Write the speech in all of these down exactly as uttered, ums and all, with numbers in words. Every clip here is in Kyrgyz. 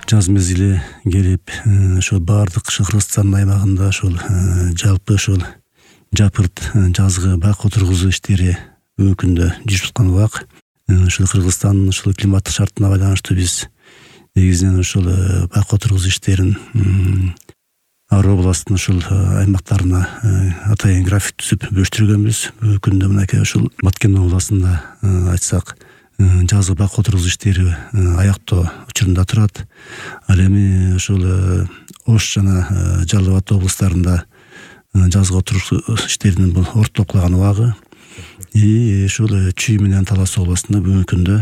жаз мезгили келип, ошол баардык Кыргызстан аймагында ошол жалпы ошол жапырт жазгы бак отургузуу иштери бүгүнкү күндө жүрүп аткан убак. Ошол Кыргызстандын ошол климаттык шартына байланыштуу биз негизинен ошол бак отургузуу иштерин ар областтын ошол аймактарына атайын график түзүп бөлүштүргөнбүз. Бүгүнкү күндө мынакей ошол Баткен областында айтсак жазгы бак отургузуу иштери аяктоо учурунда турат. Ал эми ошол Ош жана Жалал Абад облустарында жазгы отургузуу иштеринин бул ортоклаган убагы. И ошол Чүй менен Талас областында бүгүнкү күндө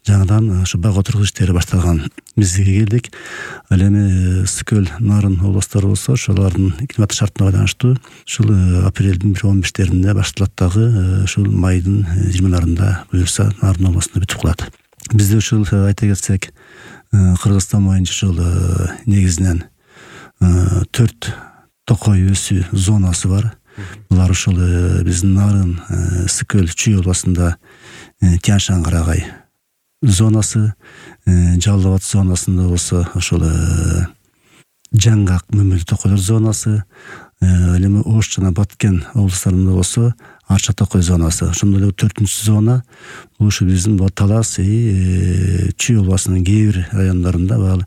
жаңадан ошо бак отургузуу иштери башталган мезгилге келдик. Ал эми Ысык-Көл, Нарын областтары болсо ошолордун климаттык шартына байланыштуу ушул апрелдин бир он бештеринде башталат дагы ушул майдын жыйырмаларында буюрса Нарын областында бүтүп калат. Бизде ушул айта кетсек Кыргызстан боюнча ушул негизинен төрт токой өсүү зонасы бар. Булар ушул биздин Нарын, Ысык-Көл, Чүй областында Тянь-Шань карагай зонасы, Жалал Абад зонасында болсо ошол Жаңгак, Мөмөлү токойлор зонасы, ал эми Ош жана Баткен облустарында болсо Арча токой зонасы. Ошондой эле төртүнчү зона бул ушу биздин Талас и Чүй областынын кээ бир райондорунда баалы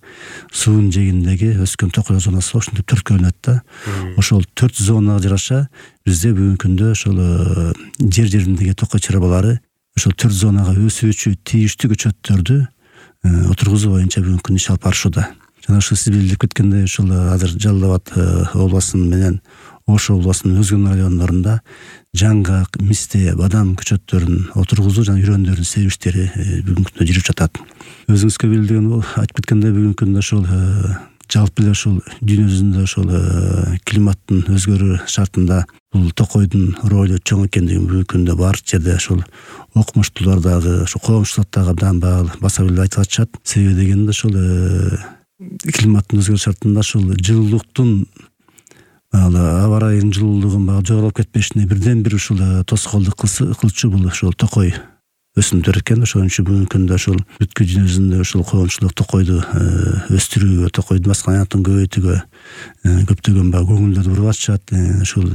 суунун жээгиндеги өскөн токой зонасы ошентип төрткө бөлүнөт да. Ошол төрт зонага жараша бизде бүгүнкү күндө ошол жер жериндеги токой чарбалары ошол төрт зонага өсүүчү тийиштүү көчөттөрдү отургузуу боюнча бүгүнкү күндө иш алып барышууда. Жана ошо сиз билип кеткендей ушул азыр Жалал Абад областынын менен Ош областынын өзгөн райондорунда жаңгак, мисте, бадам көчөттөрүн отургузуу жана үрөндөрдүн себүү иштери бүгүнкү күндө жүрүп жатат. Өзүңүзгө билдирген айтып кеткендей бүгүнкү күндө ошол жалпы эле ошол дүйнө жүзүндө ошол климаттын өзгөрүү шартында бул токойдун ролу чоң экендигин бүгүнкү күндө бар жерде ошол окумуштуулар дагы ошо коомчулук дагы абдан баса билип айтып атышат. Себеби дегенде ошол климаттын өзгөрүү шартында ошол жылуулуктун аба ырайынын жылуулугун багы жогорулуп кетпешине бирден бир ушул тоскоолдук кылчу бул ошол токой өсүмдөр экен. Ошон үчүн бүгүнкү күндө ошол бүткүл дүйнө жүзүндө ошол коомчулук токойду өстүрүүгө, токойдун баскан аянтын көбөйтүүгө көптөгөн багы көңүлдөрдү буруп атышат. Ошол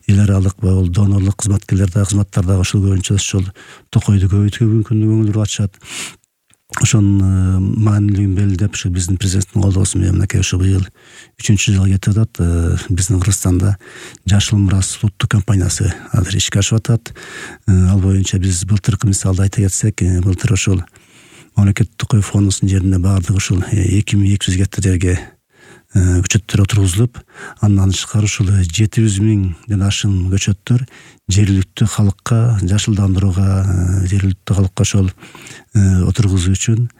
эл аралык бул донорлук кызматкерлер дагы кызматтар дагы ошол боюнча ошол токойду көбөйтүүгө бүгүнкү күндө көңүл буруп атышат. Ошонун маанилүүлүгүн белгилеп ушу биздин президенттин колдоосу менен мынакей ушу быйыл үчүнчү жылга кетип атат. Биздин Кыргызстанда Жашыл мурас улуттук компаниясы азыр ишке ашып атат. Ал боюнча биз былтыркы мисалды айта кетсек, былтыр ошол мамлекеттик токой фондунун жерине баардыгы ушул эки миң эки жүз гектар жерге көчөттөр отургузулуп, андан тышкары ушул жети жүз миңден ашык көчөттөр жергиликтүү халыкка жашылдандырууга, жергиликтүү халыкка ошол отургузуу үчүн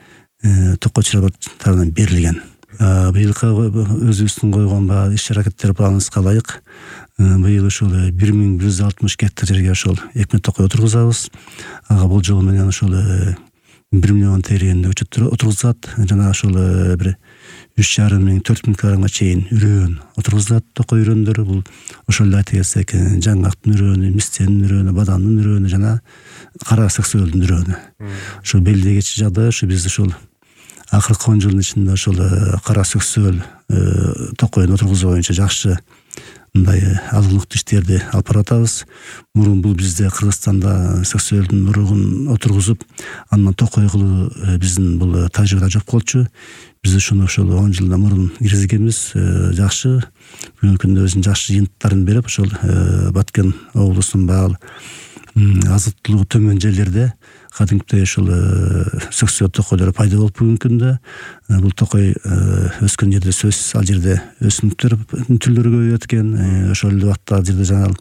токой чарба тарабынан берилген. Быйылкы өзүбүздүн койгон иш аракеттер планыбызга ылайык быйыл ушул бир миң бир жүз алтымыш гектар жерге ошол эки миң токой отургузабыз. Ага бул жол менен ошол бир миллион тегерегинде көчөттөр отургузулат. Жана ошол бир үч жарым миң төрт миң килограммга чейин үрөөн отургузулат. Токой үрөөндөр бул ошол эле айта кетсек жаңгактын үрөөнү, мистенин үрөөнү, бадамдын үрөөнү жана кара сексуалдын үрөөнү. Ошол белгилегичи жагдай ушу биз ушул акыркы он жылдын ичинде ошол кара сексуал токойун отургузуу боюнча жакшы мындай алгылыктуу иштерди алып баратабыз. Мурун бул бизде Кыргызстанда сексуалдын уругун отургузуп, андан токой кылуу биздин бул тажрыйбада жок болчу. Биз ушуну ошол он жылдан мурун киргизгенбиз. Жакшы бүгүнкү күндө өзүнүн жакшы жыйынтыктарын берип, ошол Баткен облусунун баал азыктуулугу төмөн жерлерде кадимкидей ушул сексуал токойлор пайда болуп бүгүнкү күндө бул токой өскөн жерде сөзсүз ал жерде өсүмдүктөр түрлөрү көбөйүп экен. Ошол эле убакта ал жерде жаңа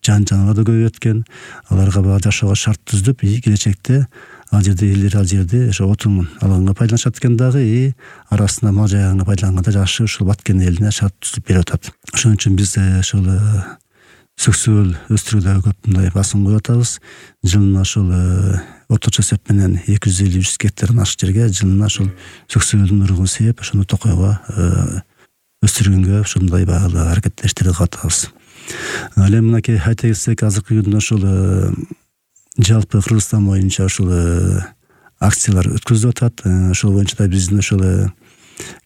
жан жаныбар да көбөйүп экен. Аларга баа жашоого шарт түздүп, келечекте ал жерде элдер ал жерде ошо отун алганга пайдаланышат экен дагы, и арасында мал жайганга пайдаланганга жакшы ушул Баткен элине шарт түзүп берип атат. Ошон үчүн биз ошол сексуал өстүрүүдө көп мындай басым коюп атабыз. Жылына ошол орточо эсеп менен эки жүз элүү жүз гектардан ашык жерге жылына ошол сексуалдын уругун сээп, ошону токойго өстүргөнгө ушундай баалуу аракеттештерди кылып атабыз. Ал эми мынакей айта кетсек, азыркы күндө ошол жалпы Кыргызстан боюнча ушул акциялар өткөзүлүп атат. Ошол боюнча да биздин ошол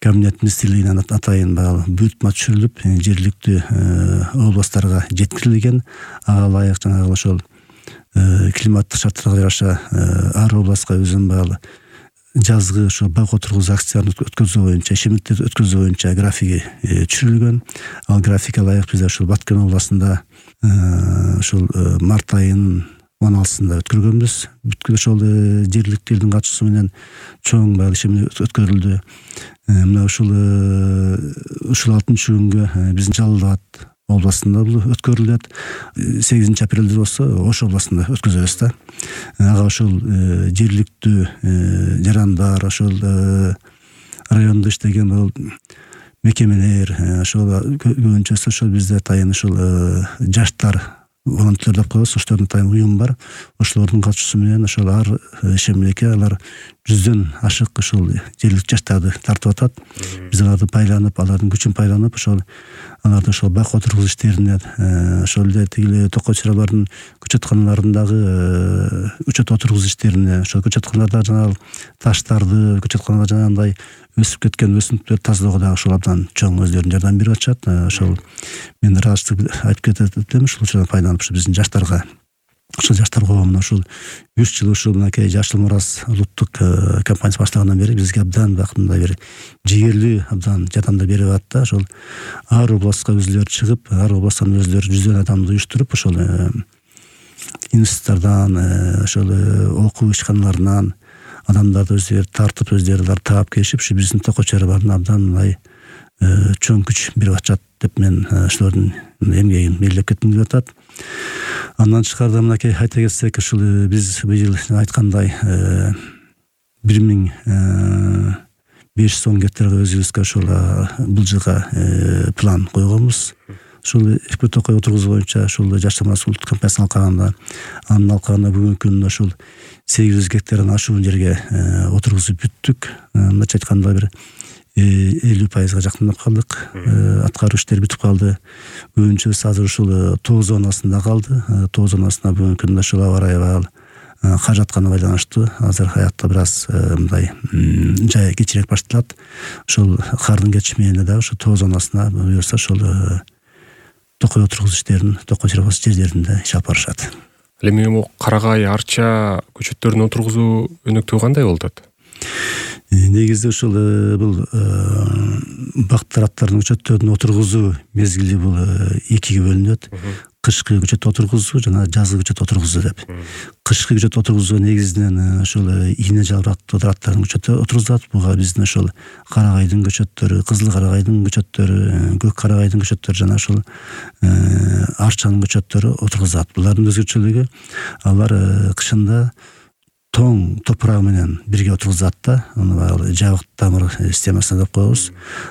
кабинет министрлигинен атайын баягы буйртма түшүрүлүп жергиликтүү областтарга жеткирилген. Ага ылайык жанагы ошол климаттык шарттарга жараша ар областка өзүнүн баягы жазгы ошо бак отургузуу акцияларын өткөзүү боюнча, ишемдикти өткөзүү боюнча графиги түшүрүлгөн. Ал графикке ылайык бизде ушул Баткен областында ушул март айынын он алтысында өткөргөнбүз. Бүткүл ошол жергиликтүү элдин катышуусу менен чоң баягы ишемдик өткөрүлдү. Мына ушул ушул алтынчы күнгө биздин Жалал Абад областында бул өткөрүлөт. сегизинчи апрелде болсо Ош областында өткөзөбүз да. Ага ошол жергиликтүү жарандар, ошол райондо иштеген бул мекемелер, ошол көбүнчөсү ошол бизде атайын ушул жаштар волонтер деп коебуз, ошолордун атайын уюм бар. Ошолордун катышуусу менен ошол ар ишемлекке алар жүздөн ашык ошол жергиликтүү жаштарды тартып атат. Биз аларды байланып, алардын күчүн байланып, ошол аларды ошол бак отургузуу иштерине, ошол эле тигил токой чыралардын көчөтканаларындагы көчөт отургузуу иштерине, ошол көчөтканаларда жанагы таштарды, көчөтканаларда жанагындай өсүп кеткен өсүмдүктөрдү тазалоого дагы ошол абдан чоң өздөрүнүн жардам берип атышат. Ошол мен ыраазычылык айтып кетет элем, ушул учурдан пайдаланып ушу биздин жаштарга, ошол жаштар коомуна ушул үч жыл ушул мынакей Жашыл Мурас улуттук компаниясы башталгандан бери бизге абдан бакындай бир жигерлүү абдан жардамдар берип атат да. Ошол ар областка өзүлөрү чыгып, ар областтан өзүлөрү жүздөн адамды уюштуруп, ошол институттардан, ошол окуу ишканаларынан адамдарды өздөрү тартып, өздөрү таап келишип, ушу биздин токой чараларына абдан мындай чоң күч берип атышат деп мен ошолордун эмгегин белгилеп кетким келип атат. Андан тышкарыда мынакей айта кетсек, ушул биз быйыл айткандай бир миң беш жүз он гектарга өзүбүзгө ошол бул жылга план койгонбуз. Ушул эки токой отургузуу боюнча ушул Жашыл Мурас улуттук компаниясынын алкагында, анын алкагында бүгүнкү күндө ушул сегиз жүз гектардан ашуун жерге отургузуп бүттүк. Мындайча айтканда бир элүү пайызга жакындап калдык. Аткаруу иштери бүтүп калды. Көбүнчөсү азыр ушул тоо зонасында калды. Тоо зонасына бүгүнкү күндө ушул аба ырайы баягы кар жатканына байланыштуу азыр аякта бир аз мындай жай кечирээк башталат. Ошол кардын кетиши дагы ушул тоо зонасына буюрса ошол токой отургузуу иштерин токой чырабас жерлеринде иш алып барышат. Ал эми бул карагай, арча көчөттөрүн отургузуу өнүктүгү кандай болуп атат? Негизде ушул бул бак тараптардын көчөттөрүн отургузуу мезгили бул экиге бөлүнөт. Кышкы көчөт отургузуу жана жазгы көчөт отургузуу деп. Кышкы көчөт отургузуу негизинен ошол ийне жалбырактуу тараптардын көчөтү отургузулат. Буга биздин ошол карагайдын көчөттөрү, кызыл карагайдын көчөттөрү, көк карагайдын көчөттөрү жана ошол арчанын көчөттөрү отургузулат. Булардын өзгөчөлүгү алар кышында тоң топурак менен бирге отургузат да. Аны баягы жабык тамыр системасына деп коебуз.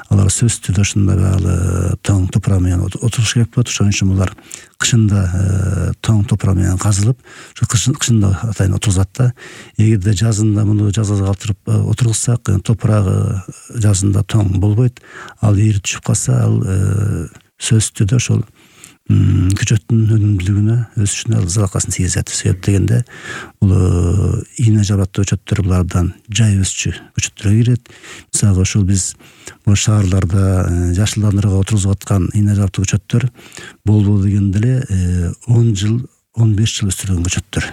Алар сөзсүз түрдө ушундай баягы тоң топурак менен отуруш керек болот. Ошон үчүн булар кышында тоң топурак менен казылып, ошо кышында атайын отургузат да. Эгерде жазында муну жазга калтырып отургузсак, топурагы жазында тоң болбойт. Ал ээри түшүп калса, ал сөзсүз түрдө ошол көчөттүн өнүмдүүлүгүнө өсүшүнө залалкасын тийгизет. Себеп дегенде бул ийне жалбырактуу көчөттөр булардан жай өсчү көчөттөргө кирет. Мисалга ошол биз бул шаарларда жашылдандырууга отургузуп аткан ийне жалбырактуу көчөттөр болбол дегенде эле он жыл, он беш жыл өстүрүлгөн көчөттөр.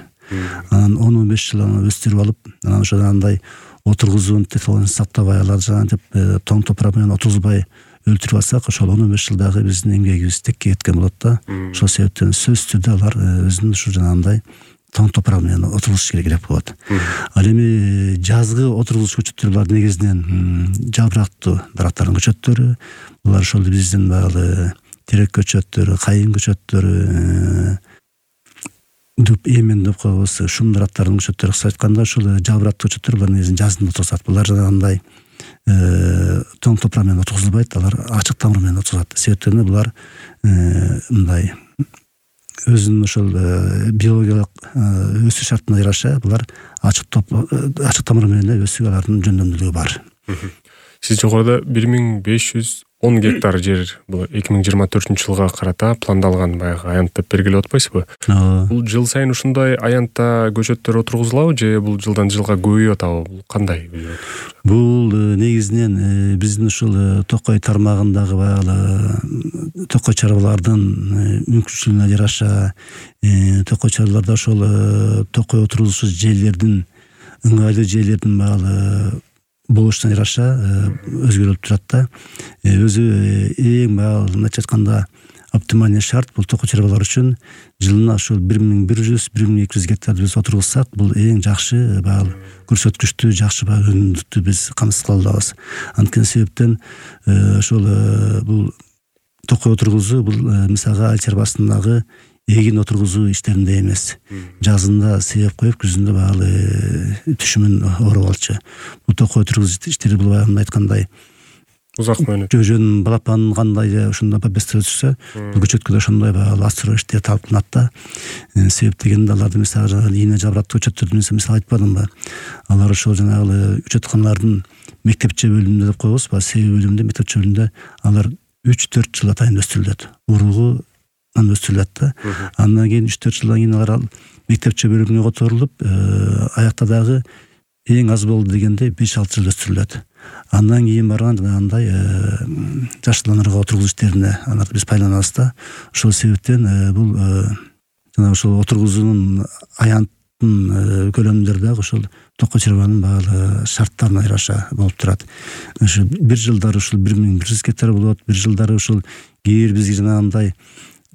Анан он он беш жыл аны өстүрүп алып, анан ошол андай отургузуунун технологиясын сактабай, аларды жанагынтип тоң топурак менен отургузбай өлтүрүп алсак, ошол он беш жылдагы биздин эмгегибиз текке кеткен болот да. Ошол себептен сөзсүз түрдө алар өзүнүн ушу жанагындай тоң топурак менен отургузуш керек болот. Ал эми жазгы отургузуш көчөттөр булар негизинен жалбырактуу дарактардын көчөттөрү. Булар ошол биздин баягы терек көчөттөрү, кайын көчөттөрү, дүп эмен деп коебуз, шум дарактардын көчөттөрү. Кыска айтканда ушул жалбырактуу көчөттөр булар негизинен жазында отургузат. Булар жанагындай тоң топурак менен отургузулбайт, алар ачык тамыр менен отургузат. Себептен булар мындай өзүнүн ошол биологиялык өсүү шартына жараша булар ачык ачык тамыр менен өсүү алардын жөндөмдүүлүгү бар. Сиз жогоруда бир миң беш жүз он гектар жер бул эки миң жыйырма төртүнчү жылга карата пландалган баягы аянт деп бергилеп атпайсызбы? Бул жыл сайын ушундай аянтта көчөттөр отургузулабы же бул жылдан жылга көбөйүп атабы? Бул кандай? Бул негизинен биздин ушул Токой тармагындагы баягы токой чарбалардын мүмкүнчүлүгүнө жараша токой чарбаларда ошол токой отургузуучу жерлердин ыңгайлуу жерлердин баягы болушуна жараша өзгөрүлүп турат да. Өзү эң баягы мындайча айтканда оптимальный шарт бул токой чарбалар үчүн жылына ушул бир миң бир жүз бир миң эки жүз гектарды биз отургузсак, бул эң жакшы баягы көрсөткүчтү, жакшы баягы өнүмдүктү биз камсыз кыла алабыз. Анткени себептен ошол бул токой отургузуу бул мисалга ай чарбасындагы эгин отургузуу иштеринде эмес. Жазында себеп коюп, күзүндө баягы түшүмүн ороп алчу. Бул токой отургузуу иштери бул баягы айткандай узак мөөнөт. Жөжөн балапан кандай ошондой бестер өсүрсө, бул көчөткө да ошондой баягы астыроо иштери талаптанат да. Себеп дегенде аларды мисалга ийне жабыраттуу көчөттөрдү мисал айтпадымбы? Алар ошол жанагы көчөтканалардын мектепче бөлүмүндө деп коебуз, баягы себеп бөлүмүндө, мектепче бөлүмүндө алар үч төрт жыл атайын өстүрүлөт. Уругунан өстүрүлөт да. Андан кийин үч төрт жылдан кийин алар мектепче бөлүмүнө которулуп, аякта дагы эң аз болду дегенде беш алты жыл өстүрүлөт. Андан кийин барган жанагындай жаштууланырга отургузуу иштерине аларды биз пайдаланабыз да. Ошол себептен бул жана ошол отургузуунун аянттын көлөмдөрү дагы ошол токой чарбанын баягы шарттарына жараша болуп турат. Ошо бир жылдары ушул бир миң бир жүз гектар болот, бир жылдары ушул кээ бир бизге жанагындай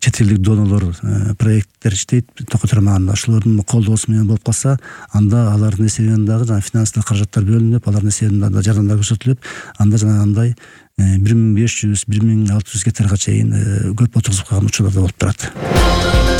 чет элдик донолор проекттер иштейт токой тармагында. Ошолордун колдоосу менен болуп калса, анда алардын эсебинен дагы жана финансылык каражаттар бөлүнүп, алардын эсебинен дагы жардамдар көрсөтүлүп, анда жанагындай бир миң беш жүз бир миң алты жүз гектарга чейин көп отургузуп калган учурлар да болуп турат.